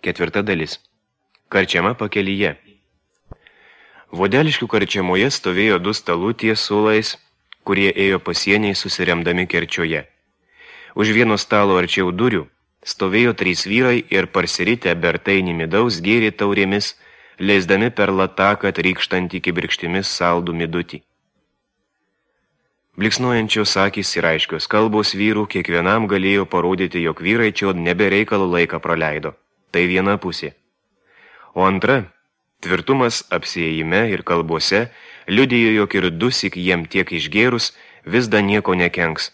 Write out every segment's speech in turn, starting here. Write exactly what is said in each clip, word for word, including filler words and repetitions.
Ketvirta dalis. Karčiama pakelyje. Vodeliškių karčiamoje stovėjo du stalų ties suolais, kurie ėjo pasieniai susiremdami Kerčioje. Už vieno stalo arčiau durių stovėjo trys vyrai ir parsiritę bertainį midaus gėrė taurėmis, leisdami per lataką trykštantį kibirkštimis saldų midutį. Bliksnuojančios akys ir aiškios kalbos vyrų kiekvienam galėjo parodyti, jog vyrai čia nebereikalo laiką praleido. Tai viena pusė. O antra, tvirtumas apsiėjime ir kalbose, liudijo, jog ir dusik jiem tiek išgėrus, vis da nieko nekenks.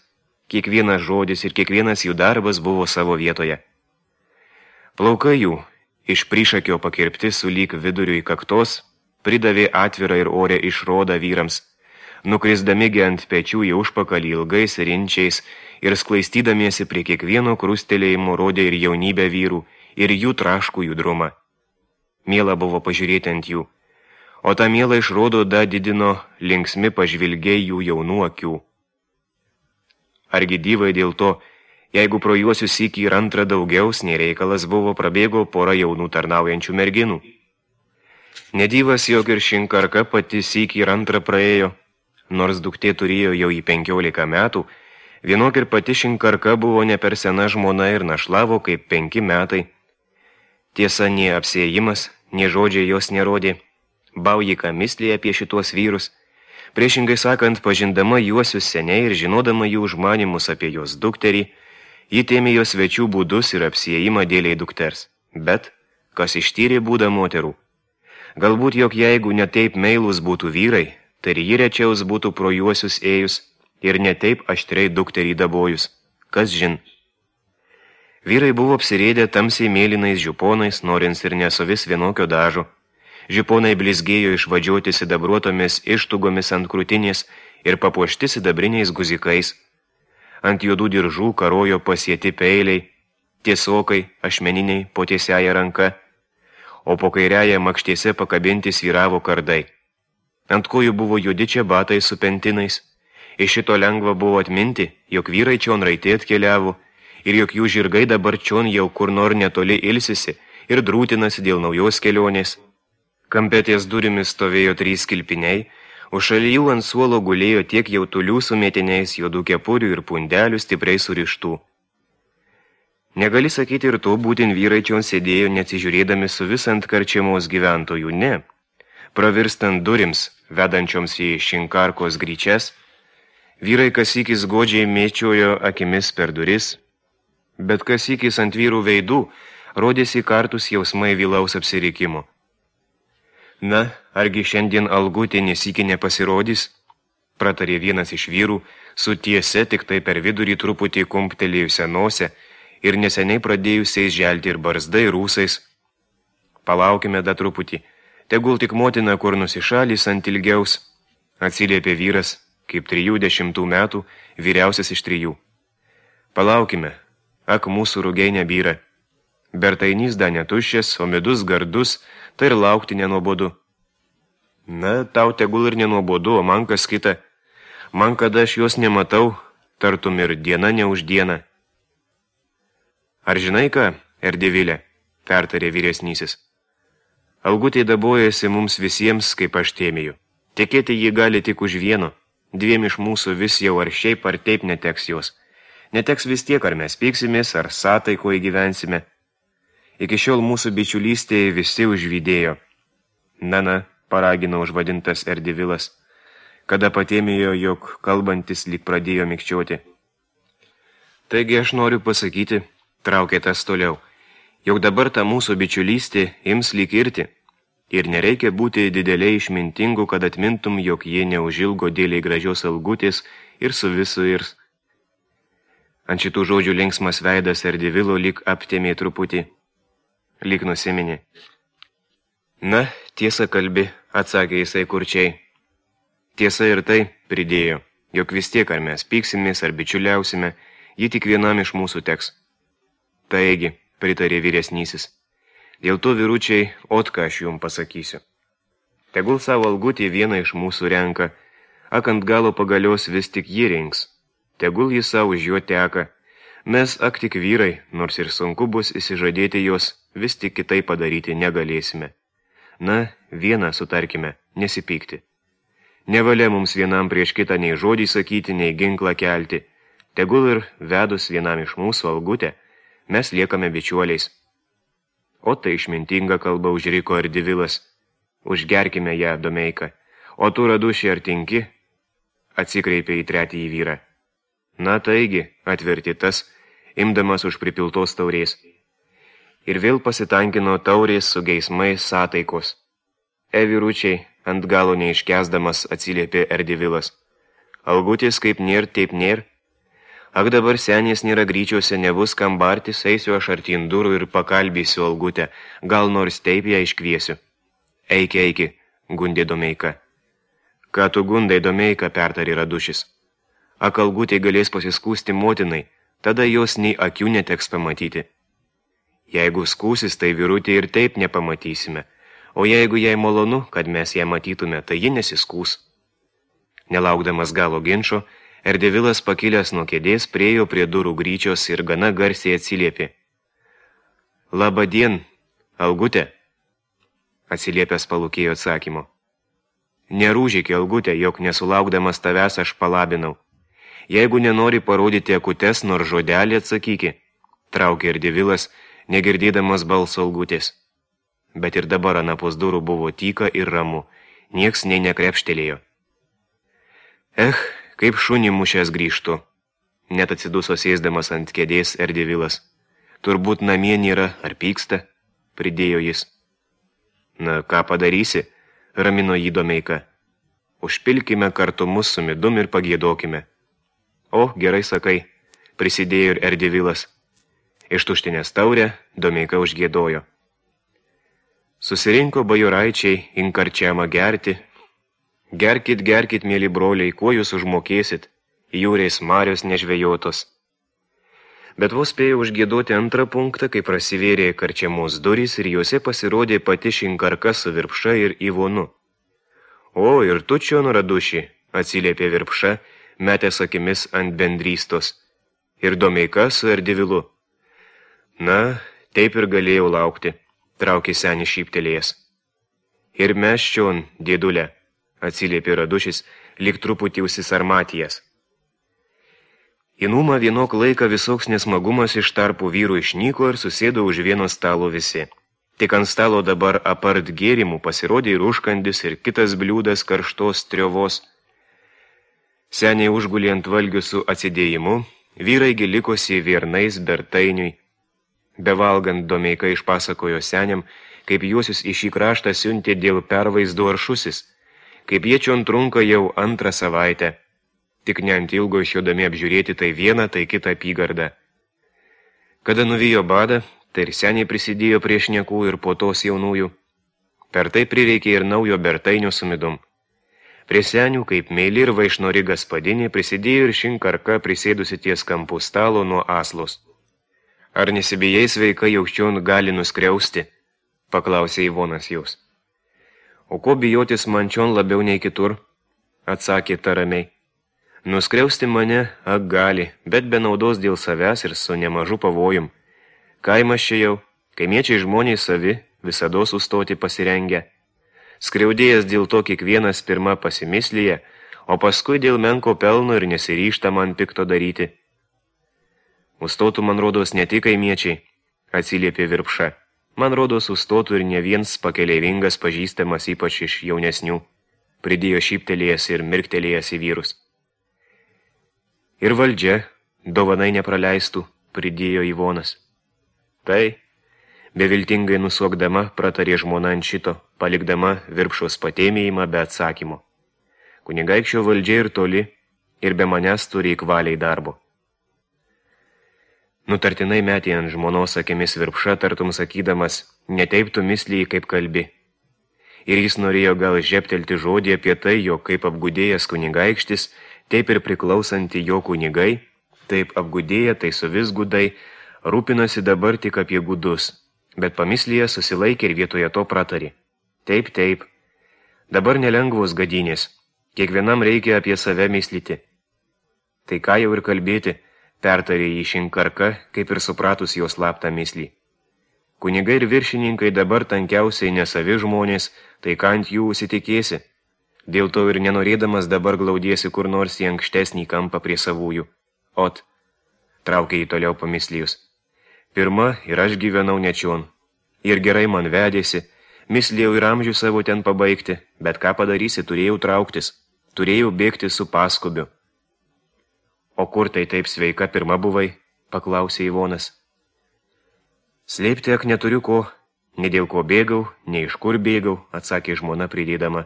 Kiekvienas žodis ir kiekvienas jų darbas buvo savo vietoje. Plaukai jų, iš prišakio pakirpti sulyg viduriu į kaktos, pridavė atvirą ir orę išrodą vyrams, nukrisdamigi ant pečių į užpakalį ilgais rinčiais ir sklaistydamiesi prie kiekvieno krustelėjimo rodė ir jaunybę vyrų, ir jų traškų judrumą. Miela buvo pažiūrėti ant jų, o tą mielą išrodo da didino linksmi pažvilgiai jų jaunų akių. Argi dyvai dėl to, jeigu pro juosius sykį ir antrą daugiaus, nei reikalas buvo, prabėgo pora jaunų tarnaujančių merginų. Nedyvas, jog ir šinkarka pati sykį ir antrą praėjo, nors duktė turėjo jau į penkiolika metų, vienok ir pati šinkarka buvo ne per sena žmona ir našlavo kaip penki metai. Tiesa, nie apsėjimas, nie žodžiai jos nerodė, baujika mislė apie šituos vyrus, priešingai sakant, pažindama juosius seniai ir žinodama jų užmanimus apie jos dukterį, ji tėmė jos svečių būdus ir apsėjimą dėliai dukters. Bet, kas ištyrė būdą moterų? Galbūt, jog jeigu netaip meilus būtų vyrai, tai ji rečiaus būtų pro juosius ėjus ir netaip aštriai dukterį dabojus. Kas žin? Vyrai buvo apsirėdę tamsiai mėlynais žiponais, norins ir nesuvis vienokio dažo. Žiponai blizgėjo išvadžiuoti sidabruotomis ištugomis ant krūtinės ir papuošti sidabriniais guzikais. Ant juodų diržų karojo pasieti peiliai, tiesokai, ašmeniniai po tiesiaja ranka, o po kairiaja makštėse pakabinti svyravo kardai. Ant kojų buvo juodi čia batai su pentinais. Iš šito lengva buvo atminti, jog vyrai čion raitė atkeliavo, ir jog jų žirgai dabar čion jau kur nor netoli ilsisi ir drūtinasi dėl naujos kelionės. Kampetės durimis stovėjo trys kilpiniai, o šalijų ant suolo gulėjo tiek jautulių su mėtiniais, juodų kepurių ir pundelių stipriai surištų. Negali sakyti ir to, būtin vyrai čion sėdėjo, neatsižiūrėdami su visant karčiamos gyventojų, ne. Pravirstant durims, vedančioms į šinkarkos gryčias, vyrai kasykis godžiai mėčiojo akimis per duris, bet kasykis ant vyrų veidų rodėsi kartus jausmai vilaus apsirikimo. Na, argi šiandien Algutė nesykį nepasirodys? Pratarė vienas iš vyrų, su tiese tik tai per vidurį truputį kumptelėjusią nosę ir neseniai pradėjusiais želti ir barzdai rūsais. Palaukime da truputį, tegul tik motina kur nusišalys ant ilgiaus, atsiliepė vyras, kaip trijų dešimtų metų, vyriausias iš trijų. Palaukime, ak mūsų rugiai nebyra. Bertainys da netuščias, o midus gardus, tai ir laukti nenuobodu. Na, tau tegul ir nenuobodu, o man kas kita. Man, kada aš jos nematau, tartum ir diena ne už dieną. Ar žinai ką, Erdevilė, pertarė vyresnysis. Algutė dabojasi mums visiems, kaip aš tėmėjau. Tekėti jį gali tik už vieno. Dviem iš mūsų vis jau ar šiaip ar taip neteks jos. Neteks vis tiek, ar mes pyksimės, ar sątaikoje gyvensime. Iki šiol mūsų bičiulystėje visi užvydėjo. Na, na, paragino užvadintas Erdevilas, kada patėmėjo, jog kalbantis lyg pradėjo mikčioti. Taigi aš noriu pasakyti, traukė tas toliau, jog dabar ta mūsų bičiulystė ims lyg irti. Ir nereikia būti dideliai išmintingų, kad atmintum, jog jie neužilgo dėliai gražios Algutės ir su visu ir... Ant šitų žodžių linksmas veidas Erdevilo lyg aptėmė truputį, lyg nusiminė. Na, tiesa kalbi, atsakė jisai kurčiai. Tiesa ir tai, pridėjo, jog vis tiek ar mes pyksimės ar bičiuliausime, ji tik vienam iš mūsų teks. Taigi, pritarė vyresnysis. Dėl to, vyručiai, ot ką aš jums pasakysiu. Tegul savo Algutį vieną iš mūsų renka, ak ant galo pagalios vis tik jį rinks. Tegul jis savo už juo teka. Mes ak tik vyrai, nors ir sunku bus įsižadėti jos, vis tik kitai padaryti negalėsime. Na, vieną sutarkime, nesipykti. Nevalia mums vienam prieš kitą nei žodį sakyti, nei ginklą kelti. Tegul ir vedus vienam iš mūsų Algutę, mes liekame bičiuoliais. O tai išmintinga kalba užriko Ardivilas. Užgerkime ją, Domeika. O tu, Raduši, ar tinki? Atsikreipė į tretįjį vyrą. Na taigi, atverti tas, imdamas už pripiltos taurės. Ir vėl pasitankino taurės su geismais sątaikos. E vyručiai, ant galo neiškęsdamas atsiliepė Ardivilas. Algutis kaip nėr, taip nėr. Ak dabar senės nėra gryčiuose, nebus kam bartis, eisiu aš artin durų ir pakalbėsiu Algutę, gal nors taip ją iškviesiu. Eiki, eiki, gundė Domeika. Ką tu gundai, Domeika, pertarė Radušis. Ak Algutė galės pasiskūsti motinai, tada jos nei akių neteks pamatyti. Jeigu skūsis, tai vyrutė ir taip nepamatysime, o jeigu jai malonu, kad mes ją matytume, tai ji nesiskūs. Nelaukdamas galo ginčo, Ardivilas pakilęs nuo kėdės priejo prie durų gryčios ir gana garsiai atsiliepė. Labadien, Algutė, atsiliepęs palūkėjo atsakymo. Nerūžyk, Algutė, jog nesulaukdamas tavęs aš palabinau. Jeigu nenori parodyti akutes, nors žodelį atsakyki, traukė Ardivilas, negirdėdamas balso Algutės. Bet ir dabar anapus durų buvo tyka ir ramu, nieks nei nekrepštelėjo. Eh, kaip šunį mušęs grįžtu, net atsiduso sėsdamas ant kėdės Ardivilas. Turbūt namie nėra, ar pyksta, pridėjo jis. Na, ką padarysi, ramino jį Domeika. Užpilkime kartu mus su midum ir pagiedokime. O, gerai sakai, prisidėjo ir Ardivilas. Ištuštinęs taurę, Domeika užgiedojo. Susirinko bajoraičiai inkarčiamą gerti. Gerkit, gerkit, mėly broliai, kuo jūs užmokėsit, jūrės marios nežvejotos. Bet vos spėjo užgiedoti antrą punktą, kai prasivėrė karčiamos durys ir juose pasirodė pati Šinkarka su Virpša ir Ivonu. O, ir tu čion, Raduši, atsiliepė Virpša, metęs akimis ant bendrystos. Ir Domeika su Ardivilu. Na, taip ir galėjau laukti, traukė senis šyptelėjęs. Ir mes čion, dėdulė, atsiliepė Radušis, lyg truputį užsisarmatijas. Į numą vienok laiką visoks nesmagumas iš tarpų vyrų išnyko ir susėdo už vieno stalo visi. Tik ant stalo dabar apart gėrimų pasirodė ir užkandis ir kitas bliūdas karštos triovos. Seniai užgulė ant valgių su atsidėjimu, vyrai gilikosi viernais bertainiui. Bevalgant Domeika išpasakojo seniam, kaip juosius į šį kraštą siuntė dėl pervaizdo aršusis, kaip jie čion trunka jau antrą savaitę, tik ne ant ilgo išjodami apžiūrėti tai vieną, tai kitą apygardą. Kada nuvijo badą, tai ir seniai prisidėjo prie šnekų ir po tos jaunųjų. Per tai prireikė ir naujo bertainio su midum. Prie senių, kaip meili ir vaišnori gaspadinė, prisidėjo ir Šinkarka prisėdusi ties kampų stalo nuo aslos. Ar nesibijai sveika jaukščion gali nuskriausti, paklausė Ivonas jaus. O ko bijotis man čion labiau nei kitur, atsakė ta ramiai. Nuskriausti mane, ak gali, bet be naudos dėl savęs ir su nemažu pavojum. Kaimas čia jau, kaimiečiai žmonės savi, visados sustoti pasirengę. Skriaudėjas dėl to kiekvienas pirma pasimislyje, o paskui dėl menko pelno ir nesiryžta man pikto daryti. Ustotų, man rodos, ne tik kaimiečiai, atsiliepė Virpša. Man rodos, ustotų ir ne viens pakeleivingas pažįstamas ypač iš jaunesnių, pridėjo šyptelėjęs ir mirktelėjęs į vyrus. Ir valdžia, dovanai nepraleistų, pridėjo Ivonas. Tai, beviltingai nusuokdama, pratarė žmona ant šito, palikdama Virpšos patėmėjimą be atsakymo. Kunigaikščio valdžia ir toli, ir be manęs turi įkvaliai darbo. Nutartinai metė ant žmonos akimis Virpša, tartum sakydamas, neteip tu mislijai kaip kalbi. Ir jis norėjo gal žeptelti žodį apie tai, jog kaip apgudėjęs kunigaikštis, taip ir priklausanti jo kunigai, taip apgudėję, tai su vis gudai, rūpinosi dabar tik apie gudus, bet pamislyje susilaikė ir vietoje to pratarė. Taip, taip, dabar nelengvos gadynės, kiekvienam reikia apie save myslyti. Tai ką jau ir kalbėti, pertarė jį Šinkarka, kaip ir supratus jos slaptą myslį. Kunigai ir viršininkai dabar tankiausiai nesavi žmonės, tai ką ant jų užsitikėsi. Dėl to ir nenorėdamas dabar glaudiesi kur nors į ankštesnį kampą prie savųjų. Ot, traukė jį toliau pamislijus. Pirma, ir aš gyvenau nečion. Ir gerai man vedėsi, mislėjau ir amžių savo ten pabaigti, bet ką padarysi, turėjau trauktis, turėjau bėgti su paskubiu. O kur tai taip sveika pirma buvai, paklausė Ivonas. Slėpti ak neturiu ko, ne dėl ko bėgau, ne iš kur bėgau, atsakė žmona pridėdama.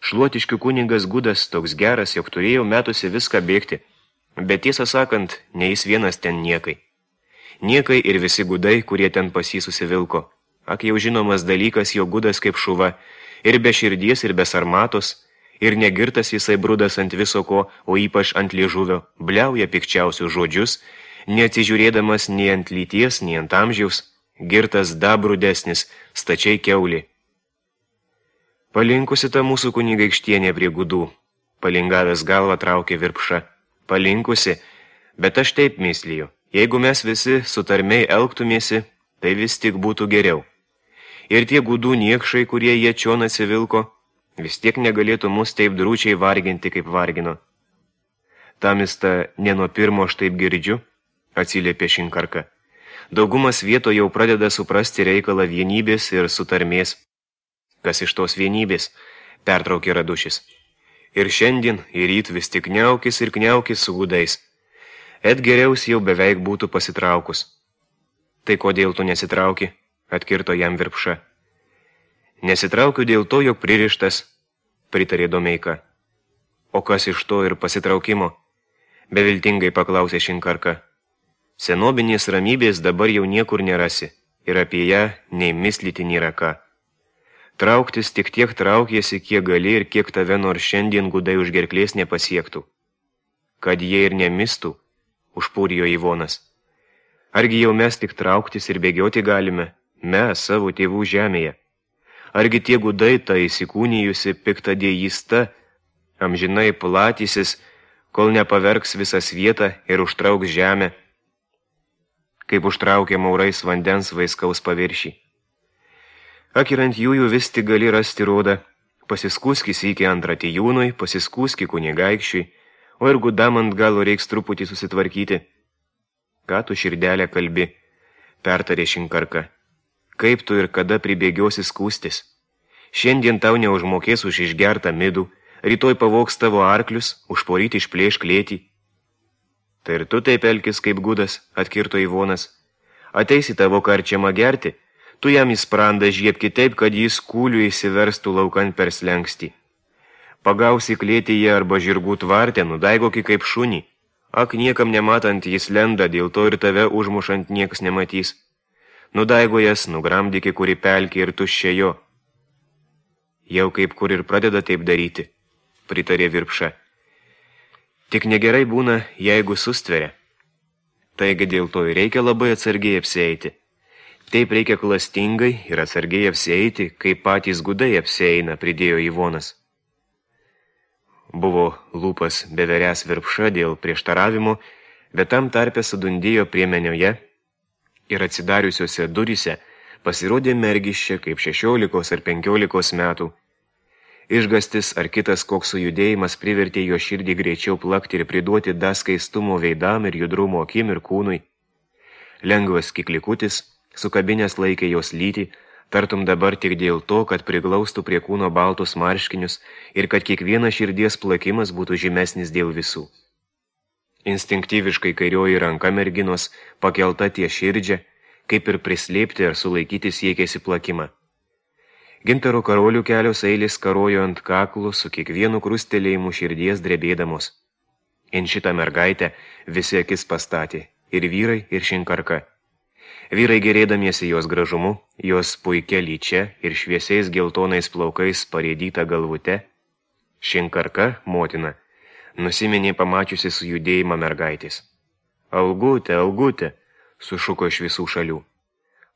Šluotiškių kunigas Gudas toks geras, jog turėjau metusi viską bėgti, bet tiesą sakant, ne jis vienas ten niekai. Niekai ir visi gudai, kurie ten pas jį susivilko. Ak jau žinomas dalykas, jo Gudas kaip šuva, ir be širdies, ir be sarmatos, ir negirtas visai brudas ant viso ko, o ypač ant liežuvio, bliauja pikčiausius žodžius, neatsižiūrėdamas nei ant lyties, nei ant amžiaus, girtas dabrudesnis, stačiai keulį. Palinkusi ta mūsų kunigaikštienė prie gudų, palingavęs galvą traukė Virpša. Palinkusi, bet aš taip mysliju, jeigu mes visi sutarmiai elgtumėsi, tai vis tik būtų geriau. Ir tie gudų niekšai, kurie jie čion atsivilko, vis tiek negalėtų mus taip drūčiai varginti, kaip vargino. Tamista ne nuo pirmo aš taip girdžiu, atsiliepė Šinkarka. Daugumas vieto jau pradeda suprasti reikalą vienybės ir sutarmės. Kas iš tos vienybės, pertraukė Radušis. Ir šiandien, ir ryt vis tik kniaukis ir kniaukis su gudais. Et geriaus jau beveik būtų pasitraukus. Tai kodėl tu nesitrauki, atkirto jam Virpša. Nesitraukiu dėl to, jog pririštas, pritarė Domeika. O kas iš to ir pasitraukimo? Beviltingai paklausė Šinkarka. Senobinės ramybės dabar jau niekur nerasi, ir apie ją nei mislyti nėra ką. Trauktis tik tiek traukiesi, kiek gali ir kiek tave nors šiandien gudai už gerklės nepasiektų. Kad jie ir nemistų, užpūrijo Ivonas. Argi jau mes tik trauktis ir bėgioti galime, mes savo tėvų žemėje? Argi tie gudai ta įsikūnijusi piktadėjista, amžinai platysis, kol nepaverks visas vietą ir užtrauks žemę, kaip užtraukė maurais vandens vaiskaus paviršį. Ak ir ant jųjų vis tik gali rasti rodą, pasiskūski sykį ant ratijūnui, pasiskūski kunigaikščiui, o ir gudam ant galo reiks truputį susitvarkyti. Ką tu širdelę kalbi, pertarė Šinkarka. Kaip tu ir kada pribėgiosi skūstis? Šiandien tau neužmokės už išgertą midų, rytoj pavogs tavo arklius, užporyti išplėš klėtį. Tai ir tu taip elkis kaip Gudas, atkirto Ivonas. Ateisi tavo karčiamą gerti, tu jam į sprandą žiepki taip, kad jis kūlių įsiverstų laukan per slengstį. Pagausi klėtyje arba žirgų tvarte, nudaigoki kaip šunį. Ak, niekam nematant jis lenda, dėl to ir tave užmušant niekas nematys. Nudaigojas, nugramdyki kuri pelkė ir tuščia jo. Jau kaip kur ir pradeda taip daryti, pritarė Virpša. Tik negerai būna, jeigu sustveria. Taigi dėl to ir reikia labai atsargiai apsieiti. Taip reikia klastingai ir atsargiai apsieiti, kaip patys gudai apsieina, pridėjo Ivonas. Buvo lūpas beveręs Virpša dėl prieštaravimo, bet tam tarpe sudundėjo priemenioje ir atsidariusiuose duryse pasirodė mergiščia kaip šešiolikos ar penkiolikos metų. Išgastis ar kitas koks sujudėjimas privertė jo širdį greičiau plakti ir priduoti daskaistumo veidam ir judrumo akim ir kūnui. Lengvas kiklikutis, sukabinės laikė jos lytį, tartum dabar tik dėl to, kad priglaustų prie kūno baltus marškinius ir kad kiekvienas širdies plakimas būtų žymesnis dėl visų. Instinktyviškai kairioji ranka merginos pakelta ties širdžia, kaip ir prislėpti ar sulaikyti siekėsi plakimą. Gintaro karolių kelios eilės karojo ant kaklų su kiekvienu krustelėjimu širdies drebėdamos. In šitą mergaitę visi akis pastatė, ir vyrai, ir Šinkarka. Vyrai gerėdamiesi jos gražumu, jos puikia lyčia ir šviesiais geltonais plaukais parėdyta galvute. Šinkarka, motina, nusiminė pamačiusi sujudėjimą mergaitės. Algutė, Algutė, sušuko iš visų šalių.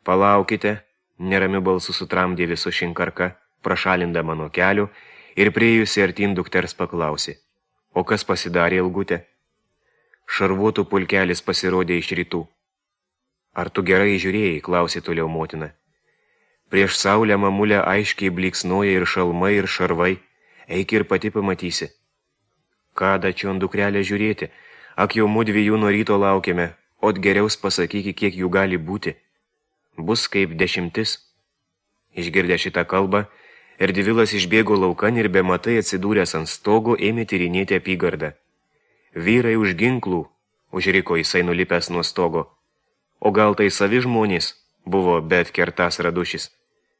Palaukite, neramiu balsu sutramdė visu Šinkarka, prašalindama nuo kelių ir priejusi artin dukters paklausė. O kas pasidarė, Algutė? Šarvuotų pulkelis pasirodė iš rytų. Ar tu gerai žiūrėjai, klausė toliau motina. Prieš saulę mamulę aiškiai bliksnoja ir šalmai, ir šarvai. Eik ir pati pamatysi. Ką dačion dukrelė žiūrėti? Ak jau mudviejų nuo ryto laukiame, ot geriaus pasakyki, kiek jų gali būti. Bus kaip dešimtis. Išgirdę šitą kalbą, Erdvilas išbėgo laukan ir be matai atsidūręs ant stogo ėmė tyrinėti apygardą. Vyrai už ginklų, užriko jisai nulipęs nuo stogo. O gal tai savi žmonės, buvo bet kertas radušis.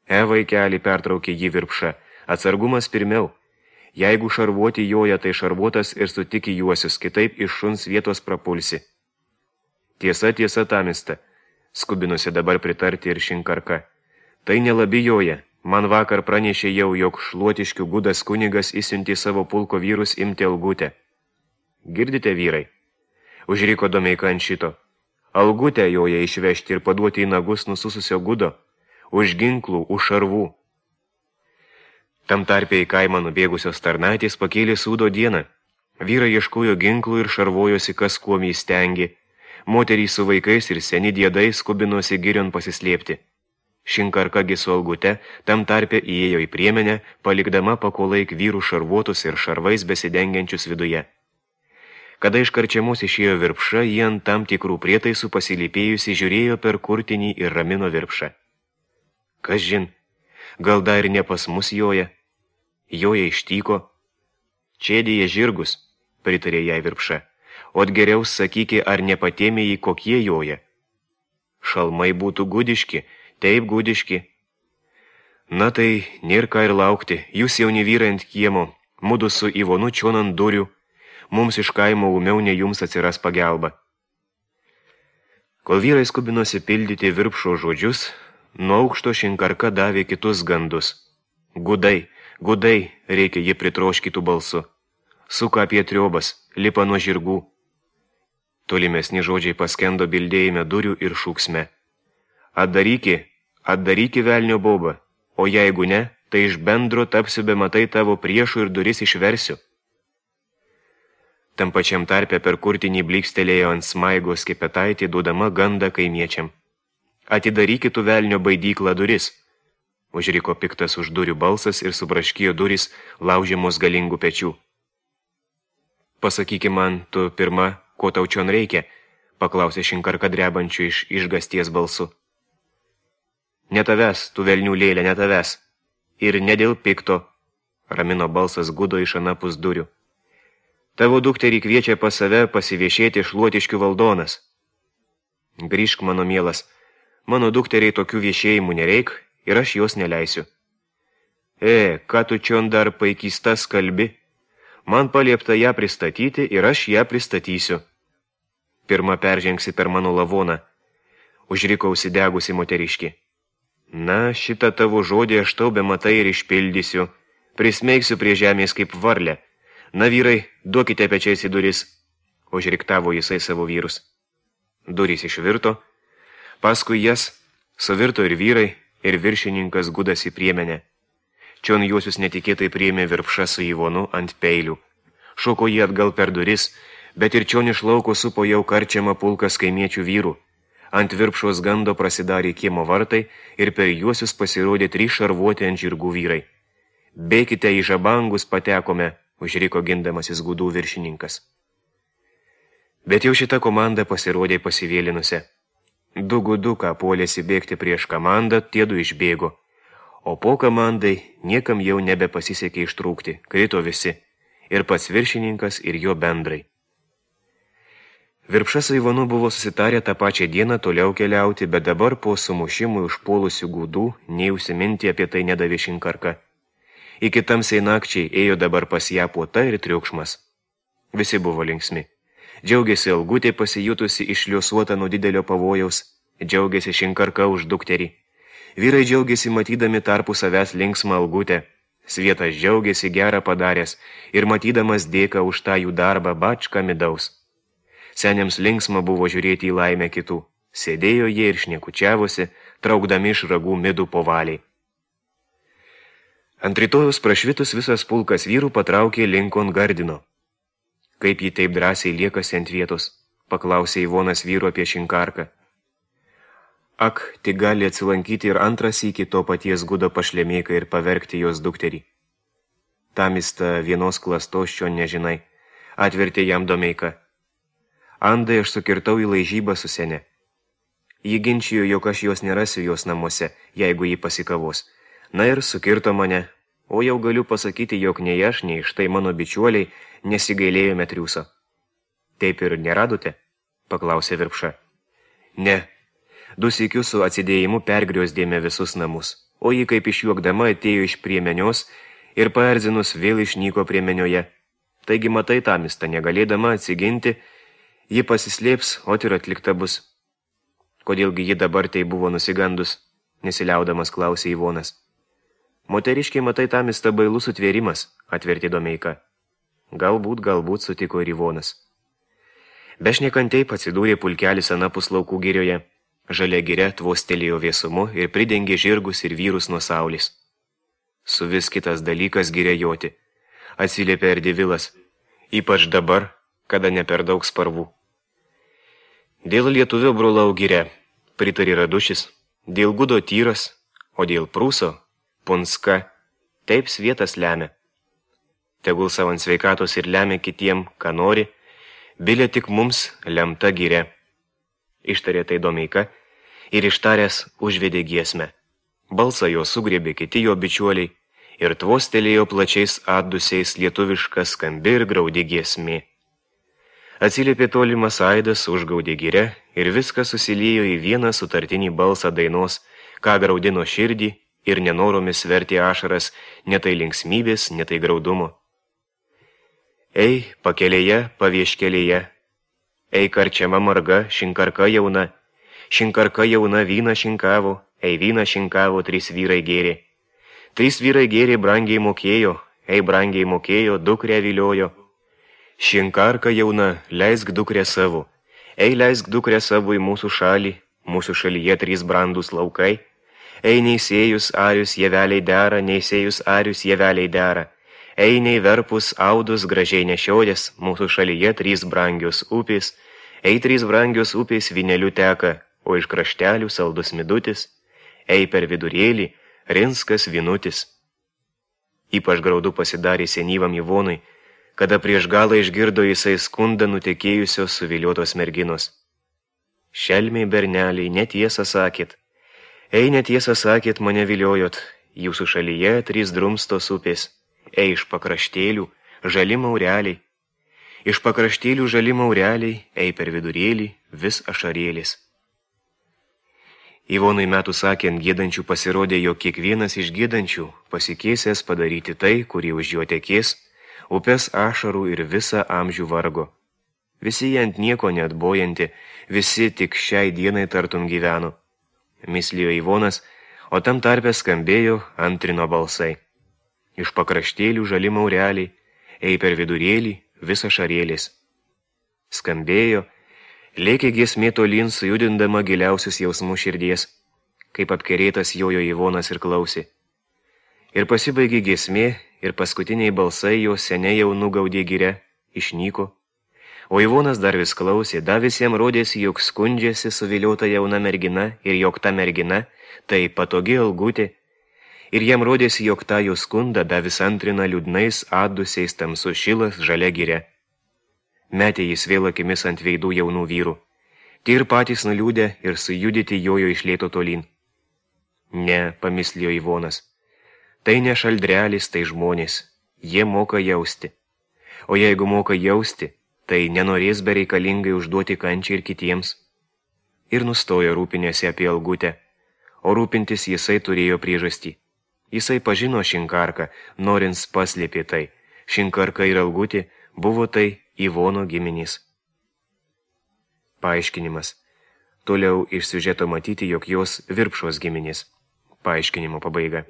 E, vaikeli, pertraukė jį Virpša, atsargumas pirmiau. Jeigu šarvuoti joja, tai šarvuotas ir sutiki juosius, kitaip iš šuns vietos prapulsi. Tiesa, tiesa, tamista, skubinusi dabar pritarti ir Šinkarka. Tai nelabi joja. Man vakar pranešė jau, jog Šluotiškių gudas kunigas įsiuntė savo pulko vyrus imti Algutę. Girdite, vyrai? Užriko Domeika ant šito. Algutę joja išvežti ir paduoti į nagus nusususio gudo. Už ginklų, už šarvų. Tam tarpe į kaimą nubėgusios tarnaitės pakėlė sūdo dieną. Vyrai ieškojo ginklų ir šarvojosi, kas kuom įstengė. Moterys su vaikais ir seni diedai skubinosi girion pasislėpti. Šinkarkagi su Algute tam tarpe įėjo į priemenę, palikdama pakolaik vyrų šarvuotus ir šarvais besidengiančius viduje. Kada iš karčiamos išėjo Virpša, jie ant tam tikrų prietaisų pasilypėjusi žiūrėjo per kurtinį ir ramino Virpšą. Kas žin, gal dar ir ne pas mus joja? Joja ištyko. Čėdėje žirgus, pritarė jai Virpša. Ot geriau sakykė, ar nepatėmėjai kokie joja. Šalmai būtų gudiški, taip gudiški. Na tai, nėr ką ir laukti, jūs jauni vyrai ant kiemo, mudu su Ivonu čion ant durių, mums iš kaimo ūmiau ne jums atsiras pagelba. Kol vyrai skubinosi pildyti Virpšo žodžius, nuo aukšto Šinkarka davė kitus gandus. Gudai, gudai, reikia ji pritroškytų balsu. Suka apie triobas, lipa nuo žirgų. Tolimesni žodžiai paskendo bildėjime durių ir šūksme. Atdaryki, atdaryki velnio baubą, o jeigu ne, tai iš bendro tapsiu be matai tavo priešų ir duris išversiu. Tam pačiam tarpe per kurtinį blykstelėjo ant smaigos Kepetaitė, duodama gandą kaimiečiam. Atidaryki tu velnio baidyklą duris. Užriko piktas už durių balsas ir subraškijo duris laužiamos galingų pečių. Pasakyki man, tu pirma, ko tau čion reikia, paklausė Šinkarka drebančiu iš išgasties balsu. Ne tavęs, tu velnių lėlė, ne tavęs. Ir ne dėl pikto, ramino balsas gudo iš anapus durių. Tavo dukterį kviečia pas save pasiviešėti Šluotiškių valdonas. Grįžk, mano mielas, mano dukteriai tokių viešėjimų nereik ir aš jos neleisiu. E, ką tu čion dar paikystas kalbi? Man paliepta ją pristatyti ir aš ją pristatysiu. Pirma peržengsi per mano lavoną, užriko užsidegusi moteriški. Na, šitą tavo žodį aš tau be matai ir išpildysiu. Prismeigsiu prie žemės kaip varlę. Na, vyrai, duokite pečiais į duris. Užriktavo jisai savo vyrus. Durys išvirto. Paskui jas suvirto ir vyrai, ir viršininkas gudas į priemenę. Čion juosius netikėtai priėmė Virpša su Ivonu ant peilių. Šoko jį atgal per duris, bet ir čion iš lauko supo jau karčiamą pulkas kaimiečių vyrų. Ant Virpšos gando prasidarė kiemo vartai ir per juosius pasirodė trys šarvuoti ant žirgų vyrai. Bėkite į žabangus patekome, užriko gindamasis gudų viršininkas. Bet jau šita komanda pasirodė pasivėlinusi. Du guduką puolėsi bėgti prieš komandą, tiedu išbėgo. O po komandai niekam jau nebepasisekė ištrūkti, krito visi, ir pats viršininkas, ir jo bendrai. Virpša su Ivanu buvo susitarę tą pačią dieną toliau keliauti, bet dabar po sumušimų užpuolusių gudų nei užsiminti apie tai nedavė Šinkarka. Iki tamsiai nakčiai ėjo dabar pas ją puota ir triukšmas. Visi buvo linksmi. Džiaugėsi Algutė pasijutusi išliuosuota nuo didelio pavojaus, džiaugėsi Šinkarka už dukterį. Vyrai džiaugėsi matydami tarpu savęs linksmą Algutę. Svietas džiaugėsi gerą padaręs ir matydamas dėką už tą jų darbą bačką midaus. Seniams linksma buvo žiūrėti į laimę kitų. Sėdėjo jie ir šnekučiavosi, traukdami iš ragų midų po valiai. Ant rytojus prašvitus visas pulkas vyrų patraukė Linkon Gardino. Kaip jį taip drąsiai liekasi ant vietos, paklausė Ivonas vyro apie Šinkarką. Ak, tik gali atsilankyti ir antras iki to paties gudo pašlemėką ir pavergti jos dukterį. Tamista vienos klastos šio nežinai, atvertė jam Domeika. Andai aš sukirtau į laižybą su sene. Ji ginčijo, jog aš jos nerasiu jos namuose, jeigu ji pasikavos. Na ir sukirto mane, o jau galiu pasakyti, jog nei aš, nei štai mano bičiuoliai nesigailėjome triūso. Taip ir neradote? Paklausė Virpša. Ne. Du sykius su atsidėjimu pergriosdėme visus namus, o ji kaip išjuokdama atėjo iš priemenios ir paerzinus vėl išnyko priemenioje. Taigi matai Tamista, negalėdama atsiginti, ji pasislėps, o ir atlikta bus. Kodėlgi ji dabar tai buvo nusigandus, nesiliaudamas klausė Ivonas. Moteriškiai matai Tamista bailus sutvėrimas, atvertė Domeika. Galbūt, galbūt, sutiko ir Ivonas. Bešnekantei atsidūrė pulkelis anapus laukų girioje. Žalia giria tvostelėjo vėsumu ir pridengė žirgus ir vyrus nuo saulės. Su vis kitas dalykas giria joti, atsiliepė Erdivilas, ypač dabar, kada ne per daug sparvų. Dėl lietuvio brolau giria, pritarė Radušis, dėl gudo tyras, o dėl prūso, punska, taip svietas lemia. Tegul savant sveikatos ir lemia kitiem, ką nori, bilė tik mums lemta giria. Ištarė tai Domeika ir ištaręs užvedė giesmę. Balsą jo sugriebė kiti jo bičiuoliai ir tvostelėjo plačiais atdusiais lietuviška skambi ir graudi giesmė. Atsiliepė tolimas aidas, užgaudė giria ir viskas susiliejo į vieną sutartinį balsą dainos, ką graudino širdį ir nenoromis vertė ašaras, ne tai linksmybės, ne tai graudumo. Ei, pakelėje, pavieškelėje, ei karčiama marga, šinkarka jauna, šinkarka jauna vyną šinkavo, ei vyną šinkavo, trys vyrai gėrė. Trys vyrai gėrė brangiai mokėjo, ei brangiai mokėjo, dukrę viliojo. Šinkarka jauna, leisk dukrę savo, ei leisk dukrę savo į mūsų šalį, mūsų šalyje trys brandus laukai, ei neįsėjus arius jeveliai dera, neįsėjus arius jeveliai dera, ei nei verpus audus gražiai nešiodės, mūsų šalyje trys brangios upės, ei trys brangios upės vynelių teka, o iš kraštelių saldus midutis, ei per vidurėlį rinskas vinutis. Ypač graudu pasidarė senyvam Ivonui, kada prieš galą išgirdo jisai skundą nutekėjusios suviliotos merginos. Šelmiai berneliai, netiesą sakėt, ei netiesą sakėt, mane viliojot, jūsų šalyje trys drumstos upės, ei iš pakraštėlių žali maureliai, iš pakraštėlių žali maureliai, ei per vidurėlį vis ašarėlis. Ivonui metų sakant gėdančių pasirodė, jog kiekvienas iš gėdančių pasikėsęs padaryti tai, kurį už jo tekės, upės ašarų ir visą amžių vargo. Visi jie ant nieko neatbojanti, visi tik šiai dienai tartum gyveno. Mislijo Ivonas, o tam tarpe skambėjo antrino balsai. Iš pakraštėlių žali maureliai, ei per vidurėlį visa šarėlis. Skambėjo, lėkė giesmė tolyn sujudindama giliausius jausmų širdies, kaip apkerėtas jojo Ivonas ir klausė. Ir pasibaigė giesmė, ir paskutiniai balsai jo seniai jau nugaudė giria, išnyko. O Ivonas dar vis klausė, da visiems rodėsi, jog skundžiasi suviliota jauna mergina ir jog ta mergina, tai patogi Algutė, ir jam rodėsi, jog tą jo skundą da vis antrina liūdnais atdusiais tamsus šilas žalia giria. Metė jis vėl akimis ant veidų jaunų vyrų. Tie ir patys nuliūdę ir sujudyti jojo iš lėto tolyn. Ne, pamislijo Ivonas, tai ne šaldrelis, tai žmonės, jie moka jausti. O jeigu moka jausti, tai nenorės bereikalingai užduoti kančią ir kitiems. Ir nustojo rūpinėsi apie Algutę, o rūpintis jisai turėjo priežastį. Jisai pažino Šinkarką, norins paslėpė tai. Šinkarka ir Algutė buvo tai Ivono giminys. Paaiškinimas. Toliau iš siužeto matyti, jog jos Virpšos giminys. Paaiškinimo pabaiga.